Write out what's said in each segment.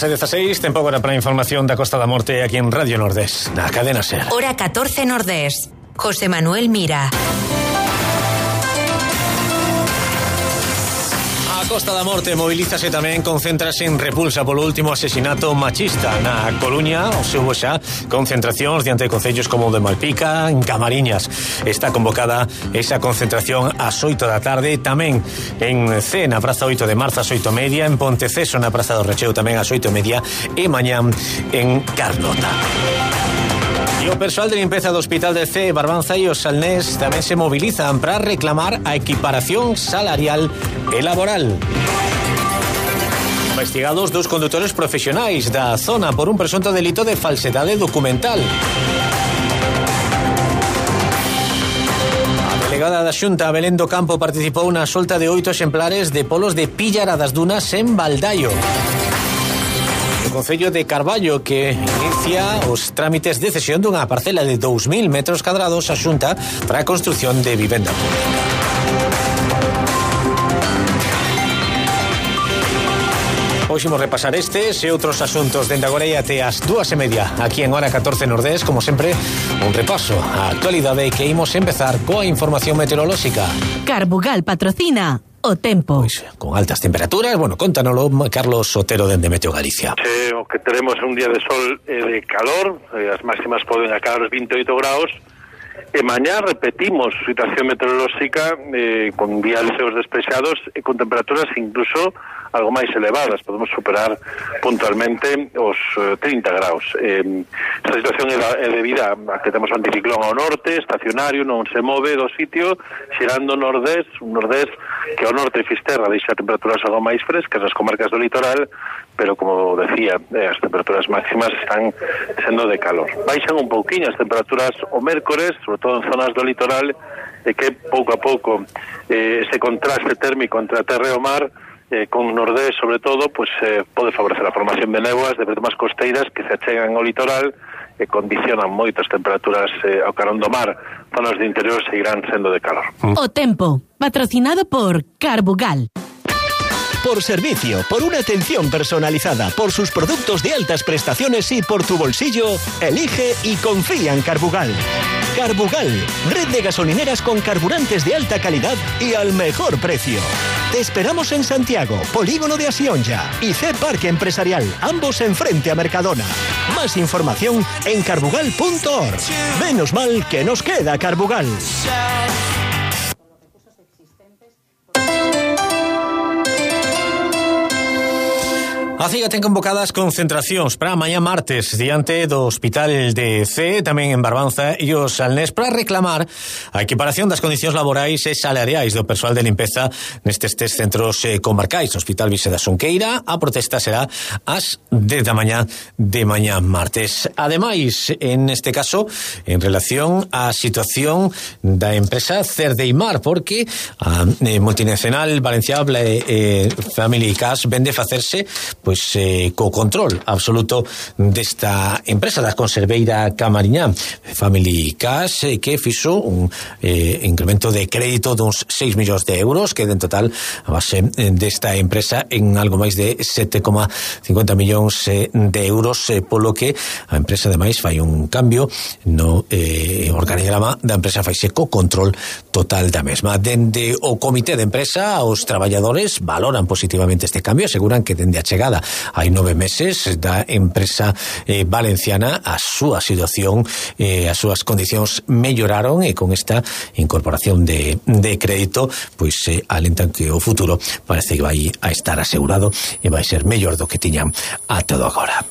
16, tempo agora para a información da Costa da Morte aquí en Radio Nordés, na cadena SER. Hora 14 Nordés. José Manuel Mira. A Costa da Morte mobilízase tamén, concéntrase en repulsa polo último asesinato machista na Coruña. Houbo xa concentracións diante de concellos como o de Malpica, en Camariñas. Está convocada esa concentración ás 8 da tarde, tamén en C, na Praza 8 de Marzo ás 8:30, en Ponteceso na Praza do Recheo tamén ás 8:30 e mañán en Carnota. E o persoal de limpeza do Hospital de C, Barbanza e os Salnés tamén se mobilizan para reclamar a equiparación salarial e laboral. Investigados dos condutores profesionais da zona por un presunto delito de falsedade documental. A delegada da Xunta, Belén do Campo, participou na solta de 8 exemplares de polos de Pillara das Dunas en Baldaio. O Concello de Carballo, que inicia os trámites de cesión dunha parcela de 2.000 metros cadrados a Xunta para a construción de vivenda pública. Hoxe imos repasar estes e outros asuntos dende agora e até as 2:30 aquí en Hora 14 Nordés. Como sempre, un repaso á actualidade que imos empezar coa información meteorolóxica. Carbugal patrocina o tempo. Pois, con altas temperaturas, bueno, contánoslo Carlos Sotero dende Meteo Galicia. O que teremos un día de sol e de calor, as máximas poden acabar os 28 graus, e mañá repetimos situación meteorolóxica con días leos despexados e con temperaturas incluso algo máis elevadas, podemos superar puntualmente os 30 graus. Esta situación é debida a que temos un anticiclón ao norte, estacionario, non se move do sitio, xerando nordés, un nordés que ao norte Fisterra deixa temperaturas algo máis frescas nas comarcas do litoral, pero como decía, as temperaturas máximas están sendo de calor. Baixan un pouquiño as temperaturas o mércores, sobre todo en zonas do litoral, e que pouco a pouco ese contraste térmico entre a terra e o mar, con nordés sobre todo, pues pode favorecer a formación de néboas de bremas costeiras que se achegan ao litoral e condicionan moito as temperaturas ao carón do mar. Zonas de interior seguirán sendo de calor. O tempo, patrocinado por Carbugal. Por servicio, por una atención personalizada, por sus productos de altas prestaciones y por tu bolsillo, elige y confía en Carbugal. Carbugal, red de gasolineras con carburantes de alta calidad y al mejor precio. Te esperamos en Santiago, Polígono de Asionja y C Parque Empresarial, ambos enfrente a Mercadona. Más información en carbugal.org. Menos mal que nos queda Carbugal. A CIGA ten convocadas concentracións para mañá martes diante do Hospital de C, tamén en Barbanza e os Salnés, para reclamar a equiparación das condicións laborais e salariais do persoal de limpeza nestes centros comarcais. No Hospital Vise da Xunqueira, a protesta será ás 10 da mañá de mañá martes. Ademais, en este caso, en relación á situación da empresa Cerdeimar, porque a multinacional valenciana Family Cash vende facerse co control absoluto desta empresa da conserveira Camariñá Family Cash, que fixo un incremento de crédito duns 6 millóns de euros, que en total a base desta empresa en algo máis de 7,50 millóns de euros, polo que a empresa ademais fai un cambio no organigrama da empresa, faise co control total da mesma. Dende o comité de empresa, os traballadores valoran positivamente este cambio, aseguran que dende a chegada hai 9 meses da empresa valenciana a súa situación, as súas condicións melloraron, e con esta incorporación de crédito pois alentan que o futuro parece que vai a estar asegurado e vai ser mellor do que tiñan a todo agora.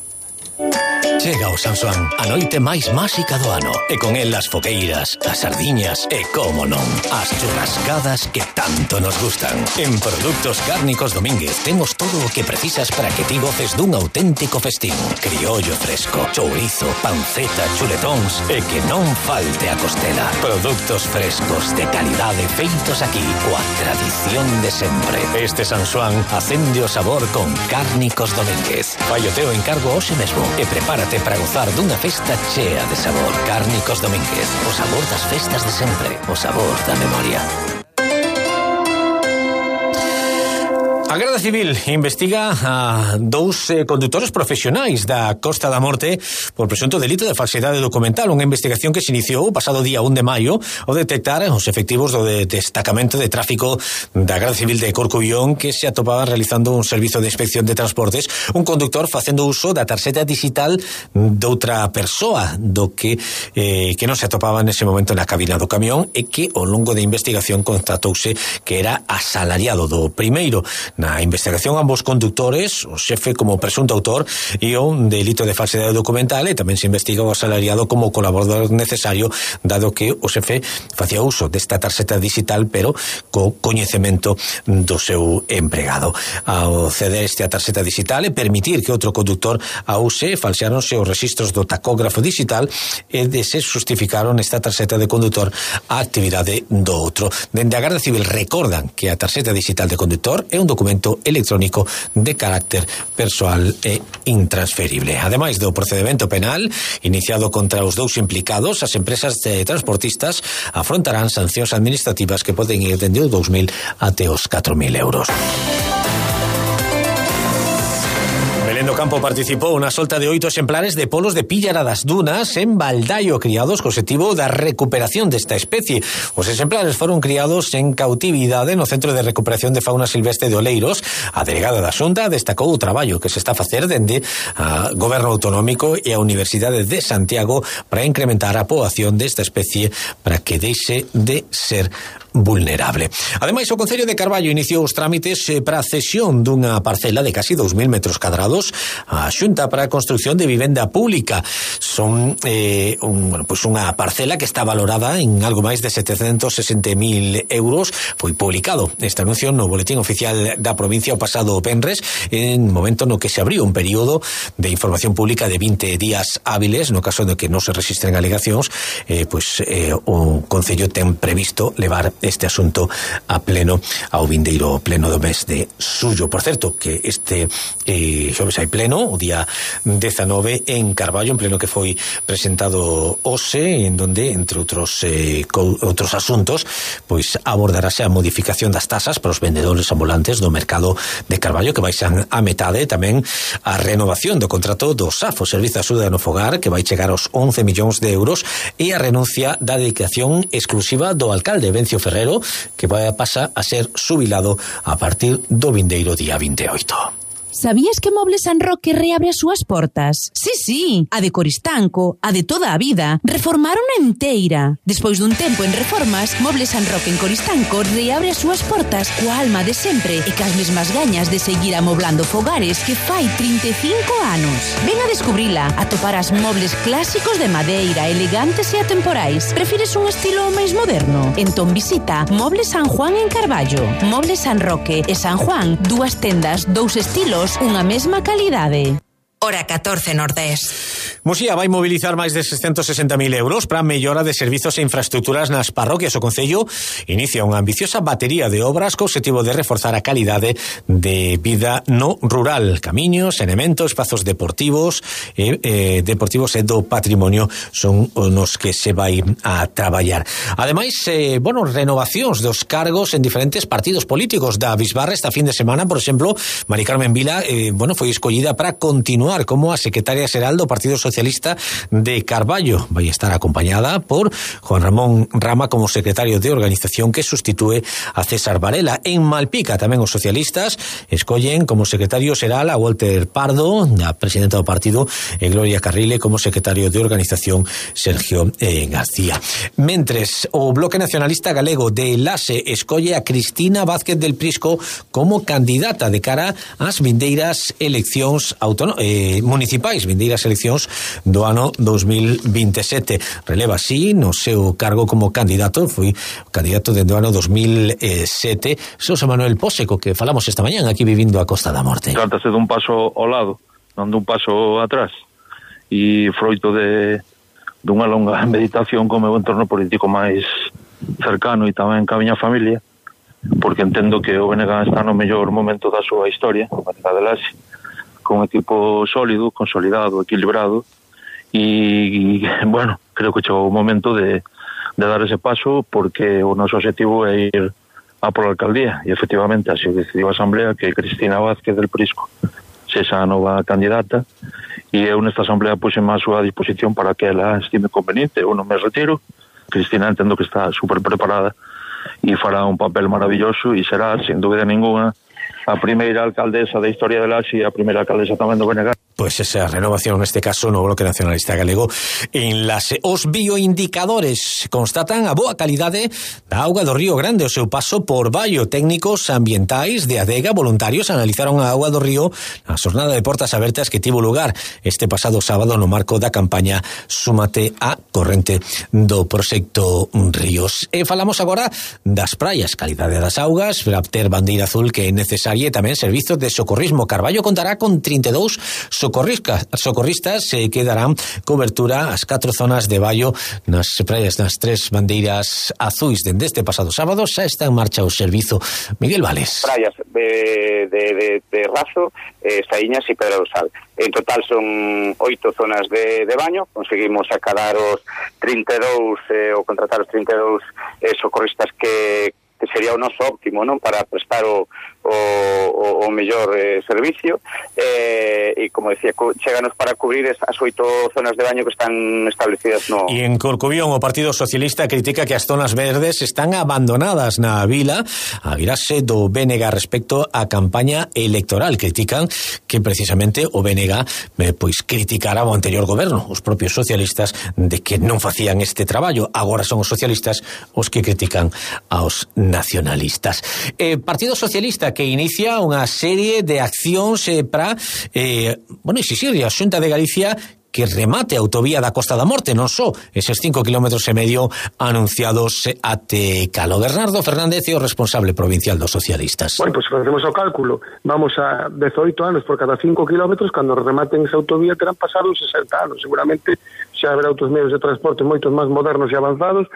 Chega o San Xoán, a noite máis máxica do ano, e con el as fogueiras, as sardiñas e, como non, as churrascadas que tanto nos gustan. En Produtos Cárnicos Domínguez temos todo o que precisas para que ti goces dun auténtico festín. Criollo fresco, chourizo, panceta, chuletóns e que non falte a costela. Produtos frescos de calidade feitos aquí, coa tradición de sempre. Este San Xoán acende o sabor con Cárnicos Domínguez. Fai o teu encargo hoxe mesmo e prepárate para gozar dunha festa chea de sabor. Cárnicos Domínguez, o sabor das festas de sempre, o sabor da memoria. A Garda Civil investiga a dous condutores profesionais da Costa da Morte por presunto delito de falsidade documental, unha investigación que se iniciou o pasado día 1 de maio ao detectar os efectivos do destacamento de tráfico da Garda Civil de Corcubión que se atopaban realizando un servizo de inspección de transportes, un conductor facendo uso da tarxeta digital doutra persoa do que non se atopaba nese momento na cabina do camión e que ao longo da investigación constatouse que era asalariado do primeiro. Na investigación ambos conductores, o xefe como presunto autor e un delito de falsidade documental, e tamén se investiga o asalariado como colaborador necesario, dado que o xefe facía uso desta tarxeta digital pero co coñecemento do seu empregado. Ao ceder esta tarxeta digital e permitir que outro conductor a use, falseáronse os registros do tacógrafo digital e se justificaron esta tarxeta de condutor a actividade do outro. Dende a Garda Civil recordan que a tarxeta digital de condutor é un documento electrónico de carácter persoal e intransferible. Ademais do procedimento penal iniciado contra os dous implicados, as empresas de transportistas afrontarán sancións administrativas que poden ir dende os 2.000 até os 4.000 euros. Belén do Campo participou na solta de 8 exemplares de polos de píllara das dunas en Baldaio, criados co objetivo da recuperación desta especie. Os exemplares foron criados en cautividade no Centro de Recuperación de Fauna Silvestre de Oleiros. A delegada da Xunta destacou o traballo que se está a facer dende o Goberno Autonómico e a Universidade de Santiago para incrementar a poboación desta especie para que deixe de ser vulnerable. Ademais, o Concello de Carballo iniciou os trámites para a cesión dunha parcela de casi 2.000 metros cadrados á Xunta para a construción de vivenda pública. Son unha parcela que está valorada en algo máis de 760.000 euros. Foi publicado este anuncio no Boletín Oficial da provincia o pasado venres, en momento no que se abriu un período de información pública de 20 días hábiles. No caso de que non se registren alegacións, o Concello ten previsto levar este asunto a pleno ao vindeiro pleno do mes de xullo. Por certo, que este xoves hai pleno, o día 19 en Carballo, en pleno que foi presentado hoxe, en donde, entre outros asuntos, pois abordarase a modificación das tasas para os vendedores ambulantes do mercado de Carballo, que baixan a metade, tamén a renovación do contrato do SAF, o Servizo de Axuda no Fogar, que vai chegar aos 11 millóns de euros, e a renuncia da dedicación exclusiva do alcalde Vencio Ferrero, que vai a pasar a ser xubilado a partir do vindeiro día 28. Sabías que Mobles San Roque reabre as súas portas? Sí, a de Coristanco, a de toda a vida, reformaron enteira. Despois dun tempo en reformas, Mobles San Roque en Coristanco reabre as súas portas coa alma de sempre e cas mesmas gañas de seguir amoblando fogares que fai 35 anos. Ven a descubrila, atoparás mobles clásicos de madeira, elegantes e atemporais. Prefires un estilo máis moderno? Entón visita Mobles San Juan en Carballo. Mobles San Roque e San Juan, dúas tendas, dous estilos, unha mesma calidade. Hora 14 Nordés. Muxía vai mobilizar máis de 660.000 euros para a mellora de servizos e infraestructuras nas parroquias. O Concello inicia unha ambiciosa batería de obras co objetivo de reforzar a calidade de vida no rural. Camiños, saneamento, espazos deportivos e do patrimonio son nos que se vai a traballar. Ademais, renovacións dos cargos en diferentes partidos políticos da Bisbarra. Esta fin de semana, por exemplo, Mari Carmen Vila foi escollida para continuar como a secretaria xeral do Partido Socialista de Carballo. Vai estar acompañada por Juan Ramón Rama como secretario de organización, que sustitúe a César Varela. En Malpica tamén os socialistas escollen como secretario xeral a Walter Pardo, a presidenta do partido, e Gloria Carrile como secretario de organización Sergio García. Mentres, o Bloque Nacionalista Galego de Lase escolle a Cristina Vázquez del Prisco como candidata de cara ás vindeiras eleccións municipais, vindeiras eleccións do ano 2027. Releva así no seu cargo como candidato, foi candidato dende o ano 2007, Xosé Manuel Póseco, que falamos esta mañán aquí vivindo a Costa da Morte. Trátase dun paso ao lado, non dun paso atrás, e froito dunha longa meditación co meu entorno político máis cercano e tamén ca miña familia, porque entendo que o BNG está no mellor momento da súa historia, o BNG de Lase, con un equipo sólido, consolidado, equilibrado, e creo que chegou o momento de dar ese paso, porque o noso objetivo é ir pola alcaldía, e efectivamente así decidiu a Asamblea que Cristina Vázquez del Prisco sexa a nova candidata, e eu nesta Asamblea puxeme a súa disposición para que ela estime conveniente. Eu non me retiro. Cristina entendo que está super preparada e fará un papel maravilloso e será, sin dúbida ninguna, a primeira alcaldesa da historia de Laxe e a primeira alcaldesa tamén do BNG. Pois esa renovación, neste caso, no Bloque Nacionalista Galego en Laxe. Os bioindicadores constatan a boa calidade da auga do Río Grande. O seu paso por Baio, técnicos ambientais de Adega, voluntarios, analizaron a auga do río na xornada de portas abertas que tivo lugar este pasado sábado no marco da campaña Súmate á corrente do proxecto Ríos. E falamos agora das praias, calidade das augas, para ter bandeira azul que é necesaria, e tamén servizos de socorrismo. Carballo contará con 32 socorristas que darán cobertura ás 4 zonas de Baio nas praias das 3 bandeiras azuis. Dende este pasado sábado xa está en marcha o servizo. Miguel Vales. Praias de Razo, Saíñas e Pedra do Sal. En total son 8 zonas de baño. Conseguimos acadar os 32 ou contratar os 32 socorristas que sería o noso óptimo, non, para prestar o mellor servicio, e como decía, cheganos para cubrir as 8 zonas de baño que están establecidas no... E en Corcubión o Partido Socialista critica que as zonas verdes están abandonadas na vila a virase do BNG respecto á campaña electoral. Critican que precisamente o BNG pois criticara o anterior goberno, os propios socialistas, de que non facían este traballo. Agora son os socialistas os que critican aos nacionalistas. Partido Socialista que inicia unha serie de accións para exixir a Xunta de Galicia que remate a autovía da Costa da Morte, non só eses 5,5 km anunciados até Calo. Bernardo Fernández é o responsable provincial dos socialistas. Bueno, pues facemos o cálculo, vamos a 18 anos por cada 5 km, cando rematen esa autovía terán pasado 60 anos, seguramente xa haberá outros medios de transporte moitos máis modernos e avanzados.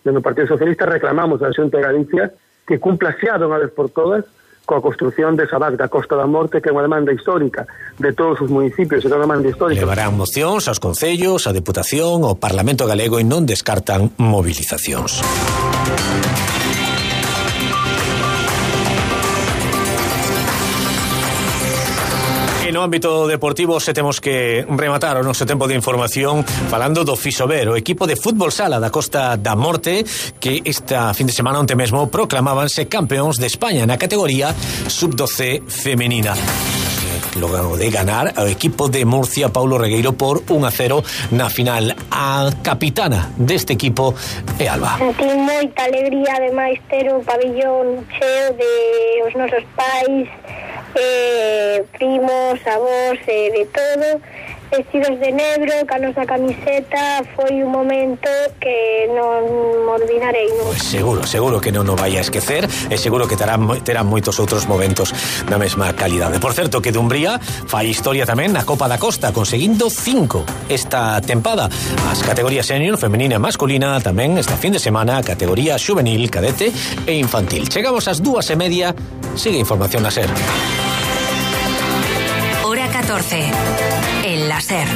No Partido Socialista reclamamos a Xunta de Galicia que cumpla xa de unha vez por todas coa construción desa VAC da Costa da Morte, que é unha demanda histórica de todos os municipios, é unha demanda histórica. Levarán mocións aos concellos, a Deputación, ao Parlamento Galego, e non descartan movilizacións. No ámbito deportivo se temos que rematar o noso tempo de información falando do Fisober, o equipo de fútbol sala da Costa da Morte, que esta fin de semana onte mesmo proclamábanse campeóns de España na categoría sub-12 femenina. Logo de ganar ao equipo de Murcia, Paulo Regueiro, por 1-0 na final. A capitana deste equipo é Alba. Sentí moita alegría, ademais, ter o pabillón cheo de os nosos pais, primos, avós, de todo, vestidos de negro, ca nosa camiseta. Foi un momento que non me olvidarei. Pues seguro que non o vai a esquecer, e seguro que terán moitos outros momentos da mesma calidade. Por certo, que Dumbría fai historia tamén na Copa da Costa, conseguindo 5 esta tempada. As categorías senior, femenina e masculina, tamén esta fin de semana a categoría xuvenil, cadete e infantil. Chegamos ás 2:30, sigue información na SER. Hora 14, en la SER.